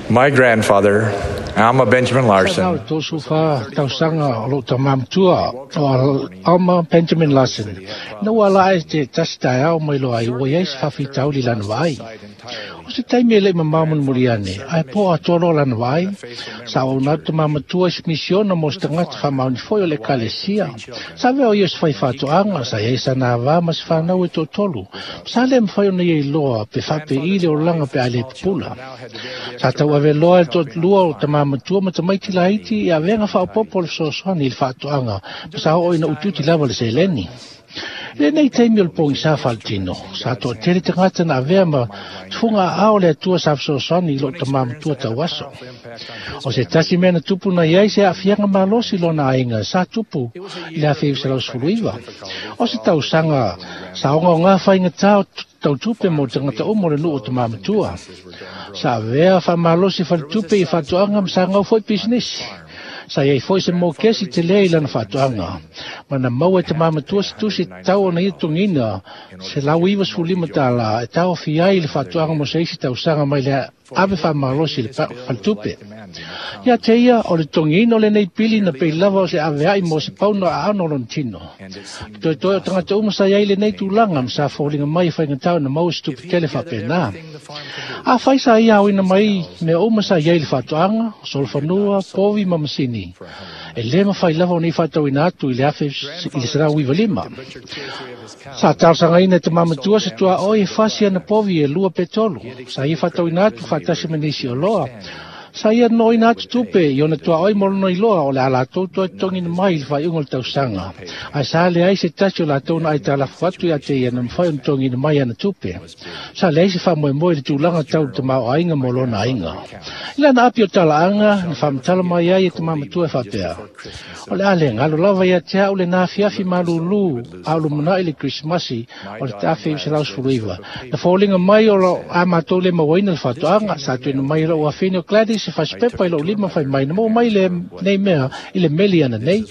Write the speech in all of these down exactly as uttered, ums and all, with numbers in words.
My grandfather, Alma Benjamin Sa Larson, tolu fa tausaga o lou tamā matua o Alma Benjamin Larson. Na ua ala ae te tasi taeao mai loa ai ua iai se faafitauli i lana vaai. O se taimi e le'i mamao mulimuli ane, ae po atoa loa lana vaai. Sa auauna atu tamā matua i se misiona mo se tagata faamaoni foi o le ekalesia. Sa avea o ia o se faifaatoaga, sa iai sana avā ma se fanau e toatolu. Sa le mafai ona ia iloa pe faape'i le olaga pe a lē pupula. Sa tauave loa e le toalua o tamā matua ma tamaiti laiti i avega faaopoopo o le fesoasoani i le faatoaga, ma sa oo ina utiuti lava le seleni. I lenei taimi o le pogisā faaletino, sa toatele tagata na avea ma tufuga aao o le Atua sa fesoasoani i lou tamā matua tauaso. O se tasi mea na tupu na iai se aafiaga malosi i lona aiga sa tupu i le afe iva selau sefulu iva. O se tausaga sa ogaogā faigatā o tautupe mo tagata uma o le nuu o tamā matua. Sa avea faamalosi faletupe i faatoaga ma sa gau foi pisinisi. Sa iai foi se mokesi telē i lana faatoaga. Ma na maua e tamā matua se tusi e tatau ona ia totogiina se lau iva sefulu lima tālā e taofia ai le faatoaga mo se isi tausaga mai le ave faamalosi i le faletupe. Ia te ia o le totogiina o lenei pili na pei lava o se avea'i mo se pauna aano o lona tino. Toetoe o tagata uma sa iai lenei tulaga ma sa foliga mai e faigatā ona maua se tupe tele faapenā. Afai sa ia aoina mai mea uma sa iai i le faatoaga, solofanua, povi ma masini, e lē mafai lava ona ia faatauina atu i le afe i le selau iva lima. Sa talosagaina e tamā matua se tuaʻoi e fasi ana povi e lua pe tolu. Sa ia faatauina atu faatasi ma nisi oloa. Sa ia nonoina atu tupe i ona tuaʻoi mo lona iloa o le a latou toe totogina mai i le faaiuga o le tausaga. Ae sa leai se tasi o latou na aitalafu atu ia te ia na mafai ona totogina mai ana tupe. Sa leai se faamoemoe i le tulaga tau le tamaoaiga mo lona aiga. I lana api o talaaga, na faamatala mai ai e tamā matua e faapea, O le a le galo lava ia te a'u lenā afiafi malūlū a o lumana'i le Kerisimasi o le afe iva selau sefulu iva. Na foliga mai o lo a matou le mauaina le faatoaga, sa tuuina mai e lou afine o Gladys se fasipepa i lou lima fai mai, na maua mai lenei mea i le meli ananei.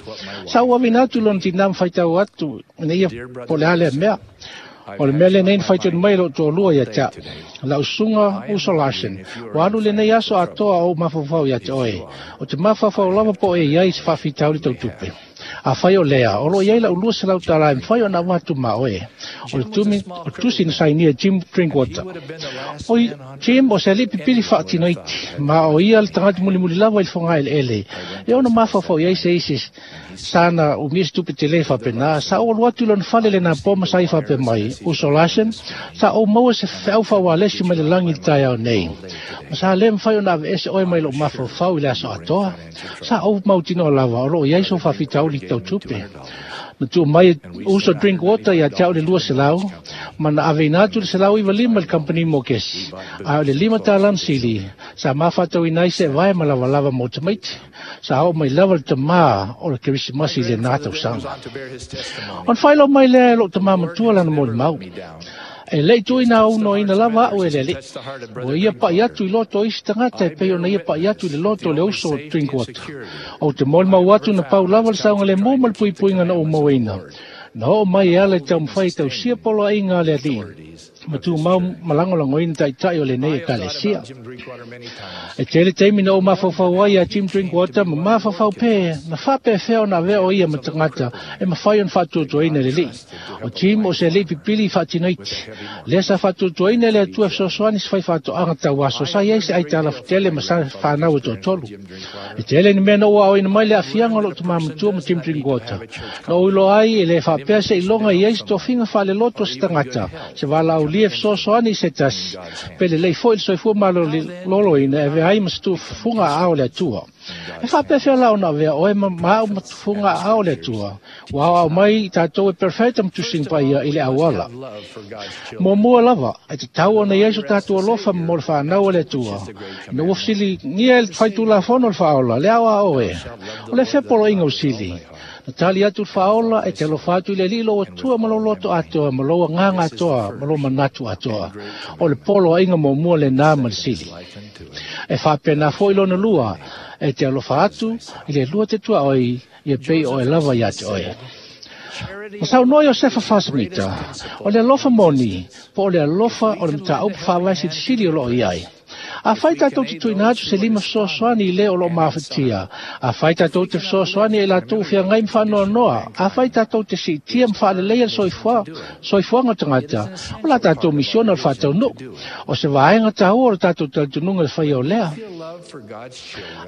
Sa ou aveina atu i lona tinā ma faitau atu ina ia po o le a lea mea. O le mea lenei na faitonu mai e lou toalua ia te a'u, lau susuga Uso Larson, ua alu lenei aso atoa o ou mafaufau ia te oe. O te mafaufau lava po o e i ai se faafitauli tau tupe. Afai o lea, o lo o i ai lau lua selau tālā e mafai ona avatu ma oe. O le tumi, o le tusi na sainia e Jim Drinkwater. O Jim o se alii pipili faatinoiti, ma o ia le tagata mulimuli lava i le fogaeleele. E ono mafaufau i ai se isi sa na umia se tupe telē faapenā. Sa ou alu atu i lona fale lenā po ma sa ia faapea mai, Uso Larson, sa ou maua se feau faaualesi mai le lagi i le taeao nei. Ma sa lē mafai ona aveese oe mai lou mafaufau i le aso atoa. Sa ou mautinoa lava o loo i ai sou faafitauli tau tupe. Na tuu mai e Uso Drinkwater ia te a'u le lua selau, ma na aveina atu le selau iva lima i le kamupani mokesi, a o le lima tālā na sili, sa mafaatauina ai se vae ma lavalava mo tamaiti. Sa oo mai lava le tamā o le Kerisimasi i lenā tausaga. Ona faailoa mai lea e lou tamā matua lana molimau, E le'i tuuina aunoaina lava a'u e le Alii. Ua ia pa'i atu i loto o isi tagata e pei ona ia pa'i atu i le loto o le uso o Drinkwater. Ou te molimau atu na pau lava le saogalemu ma le puipuiga na ou mauaina. Na oo mai e ala i taumafai e tausia poloaiga a le Alii ma tumau ma lagolagoina taitai o lenei ekalesia. E tele taimi na ou mafaufau ai iā Jim Drinkwater ma mafaufau pē na faapefea ona avea o ia ma tagata e mafai ona faatuatuaina e le Alii. O Jim o se alii pipili i faatinoiti. Lea sa faatuatuaina e le Atua e fesoasoani se faifaatoaga tauaso sa i ai se aitalafu tele ma sa fanau e toatolu. E tele ni mea na ou aoina mai le aafiaga o lou tamā matua ma Jim Drinkwater. Na ou iloa ai e lē faapea seiloga i ai se tofiga faaleloto a se tagata, se valaaulia e fesoasoani i se tasi, pe lelei foi le soifua malōlōina e avea ai ma se tufuga aao o le Atua. E faapefea la ona avea oe ma ma a'u ma tufuga aao o le Atua, ua aoao mai i tatou e perofeta ma tusiga paia i le auala. Muamua lava, e tatau ona i ai so tatou alofa mo le fanau a le Atua. Ina ua fesiligia e le faitulafono le Faaola, le aoao e, o le fepoloaiga o sili. Na tali atu le Faaola, e te alofa atu i le Alii lou Atua ma lou loto atoa, ma lou agaga atoa, ma lou manatu atoa. O le poloaiga muamua lenā ma le sili. E faapena foi lona lua, e te alofa atu i le lua te tuaoi, ia pei oe lava ia te oe. Na saunoa Iosefa Fasemita, o le alofa moni, po o le alofa o le mataupu faavae silisili o loo i ai. Afai tātou te tuina atu se lima fesoasoani i le o lo mafatia. Afai tātou te fesoasoani e latou feagai ma faanoanoa. Afai tātou te siitia ma faaleleia le soifua, soifuaga o tagata. O la tātou misiona o le faataunuu. O se vaega taua o le tātou talitonuga le faia o lea.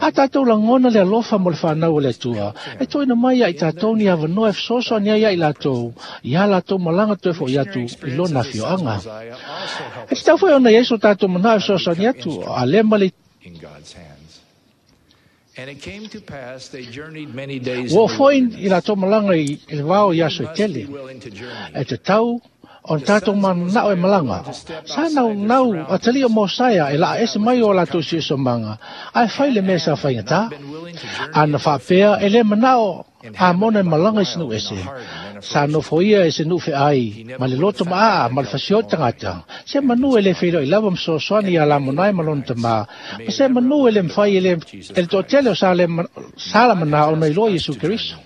A tātou lagona le alofa mo le whanau o le Atua. E toina mai ia i tātou ni avanoa e fesoasoani ai ia i latou. Ia latou malaga toe fo'i atu i lona afioaga. E tatau foi ona i ai so tātou manao e fesoasoani atu. A le ma le In God's hands. And it came to pass they journeyed many days Ua in the foi wilderness. i latou malaga i le vao i aso e Must tele. be willing to journey. E tatau ona tātou mananao e malaga. Sa naunau atalii o Mosaia e laa ese mai o latou siosiomaga, ae fai le mea sa faigata. Been willing to journey Ana faapea e le manao a mona e malaga i se nuu ese. Sa nofo ia e se nuu feai, ma le loto maa ma le fasio tagata. Se manu e le feiloi lava ma fesoasoani ia Lamonai ma lona tamā. Ma se manu e le mafai e le, e le toatele o sa le sa la manao ona iloa Iesu Keriso.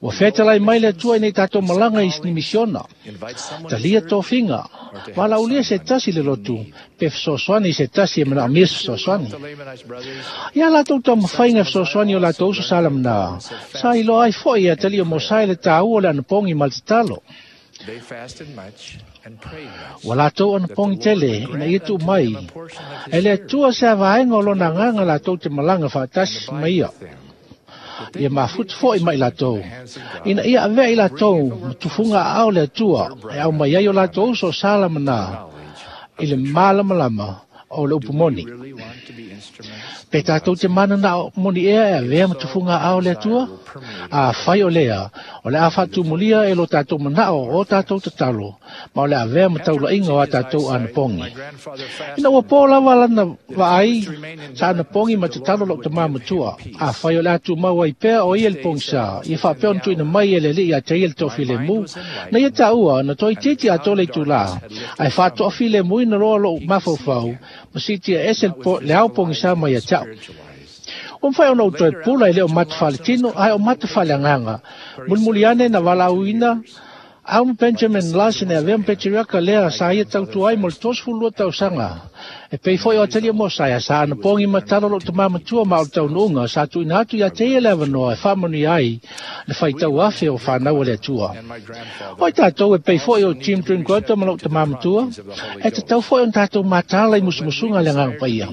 Ua fetalai mai le Atua ina ia tātou malaga i ni misiona. invite someone to Talia serve tofiga, valaaulia se tasi le lotu, pe fesoasoani i se tasi e manaomia se fesoasoani. the Lamanite brothers Ia latou taumafaiga e fesoasoani o latou uso sa lamana. Sa iloa ai foi e atalii o Mosai le taua o le anapogi ma le tatalo. they fasted much and prayed much. Ua latou anapogi tele ina ia tuu mai. A portion of his E le Atua se avaega o lona agaga latou te malaga faatasi ma ia. them. Ia mafuta foi mai latou. Ina ia avea i latou ma tufuga aao le Atua e aumai ai o latou uso sa lamana i le malamalama o le upu moni. Really want to be instruments Pe tātou te mananao moni ea e avea ma tufuga aao le Atua? A fai o lea, o le a faatumulia e lo tātou manao o tātou tatalo, ma o le avea ma taulaiga o a tātou anapogi. My grandfather fasted Ina ua pō lava lana vaai, sa anapogi ma tatalo lou tamā matua. A fai o le a tumau ai pea o ia le pogisa, ia faapea ona tuuina mai e le Alii ia te ia le toafilemu, na ia taua na toaitiiti atoa le itulā. Ae faatoafilemuina loa lou mafaufau, ma siitia ese le po- le ao pogisa mai ia te au. Ua mafai ona ou toe pula e le o mata faaletino, ae o mata faaleagaga. Mulimuli ane na valaauina Alma Benjamin Larson e avea ma Patriarka lea sa ia tautua ai mo le tolusefulu lua tausaga. E pei foi o atalii o Mosaia sa anapogi ma tatalo lou tamā matua ma o le taunuuga sa tuuina atu ia te ia le avanoa e faamanuia ai le faitau afe o whanau o le Atua. and my grandfather Oi tātou e pei foi o Jim Drinkwater ma lou tamā matua, e tatau foi ona tātou mataala i musumusuga le Agaga Paia.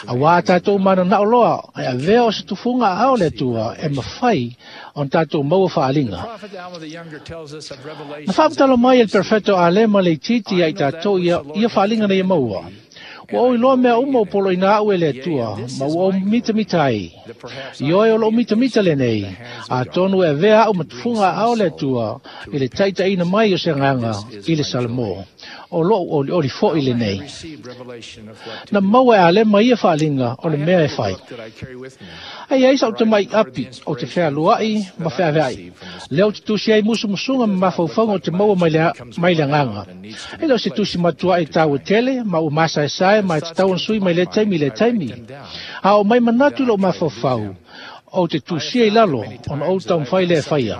Auā tātou mananao loa, e avea o se tufuga aao le Atua e mafai ona tātou maua faaliga. Prophet Alma the Younger tells us of Na revelations faamatalo mai e le perfeto Alema le itiiti ia i tātou ia, ia faaliga na ia maua. Ua ou iloa mea uma o poloina au e le Atua, ma ua ou mitamita ai. that perhaps I oe o lou mitamita lenei, atonu e avea au ma tufuga aao le Atua, i le taitaiina mai o se agaga i le Salamo. O lou olioli foi lenei. received revelation of what to Na maua e Alema ia faaliga o le mea e fai. book that I carry with me. Ai ai sau te mai api o te fealuai ma feaveai. Lea o te tusi ai musumusuga ma mafaufauga o te maua mai le, mai le agaga. E le o se tusi matua e tāua tele, ma ua masaesae ma e tatau ona sui mai lea taimi i lea taimi. A o mai manatu i lou mafaufau, o te tusia i lalo, ona ou taumafai lea e faia.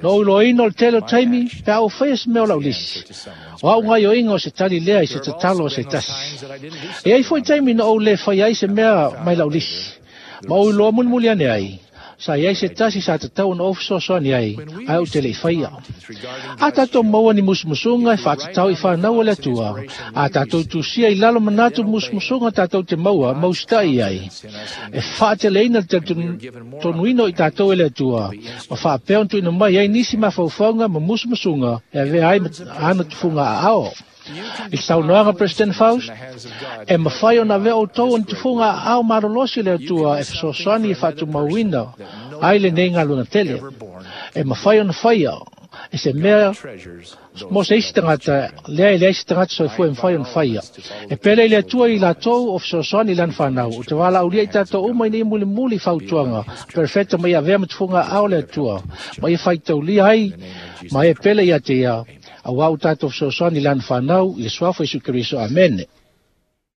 Na ou iloaina o le tele o taimi, pe a ou faia se mea o lau lisi. O au gaioiga o se tali lea i se tatalo o se tasi. E ai foi taimi na ou le fai ai se mea mai lau lisi. Ma ou iloa mulimuli ane ai, sa i ai se tasi sa tatau ona ou fesoasoani ai, ae ou te le i faia. A tātou maua ni musumusuga e faatatau i whanau o le Atua. A tātou tusia i lalo manatu musumusuga tātou te maua mausita'i ai. E faateleina le talitonuina o i tātou e le Atua. Ma faapea ona tuuina mai ai nisi mafaufauga ma musumusuga e avea ai ma ana tufuga aao. I le saunoaga President Faust, e mafai ona avea outou ona tufuga aao malolosi le Atua e fesoasoani e faatumauina ai lenei galuega tele. E mafai ona faia e se mea Treasures mo se isi tagata lea e leai se tagata soifua e mafai ona faia. E pele i le Atua i latou o fesoasoani i lana whanau. O te valaaulia i tātou uma ina ia mulimuli fautuaga. Perfecta ma ia avea ma tufuga aao le Atua. Ma ia faitaulia ai ma e pele ia te ia. Auā o tātou fesoasoani i lana whanau i le suafa o Iesu Keriso. Amene.